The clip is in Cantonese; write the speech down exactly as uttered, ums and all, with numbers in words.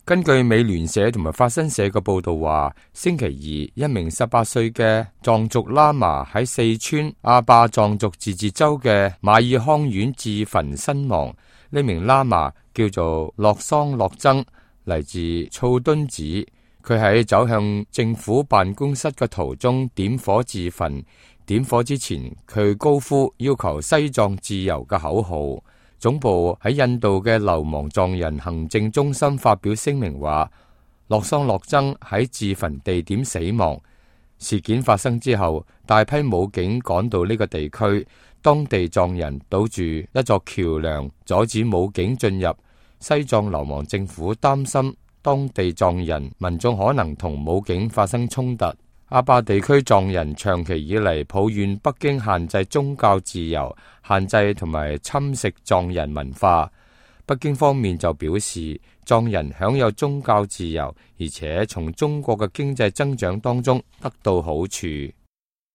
根據美聯社同埋法新社嘅報道話，星期二一名十八歲嘅藏族喇嘛喺四川阿壩藏族自治州嘅馬爾康縣自焚身亡。呢名喇嘛叫做洛桑洛曾，嚟自措敦市。佢喺走向政府辦公室嘅途中點火自焚。點火之前，佢高呼要求西藏自由嘅口號。總部喺印度嘅流亡藏人行政中心發表聲明話，洛桑洛曾喺自焚地點死亡。事件發生之後，大批武警趕到呢個地區，當地藏人堵住一座橋樑，阻止武警進入。西藏流亡政府擔心當地藏人民眾可能同武警發生衝突。阿壩地區藏人長期以嚟抱怨北京限制宗教自由，限制同埋侵蝕藏人文化。北京方面就表示，藏人享有宗教自由，而且從中國嘅經濟增長當中得到好處。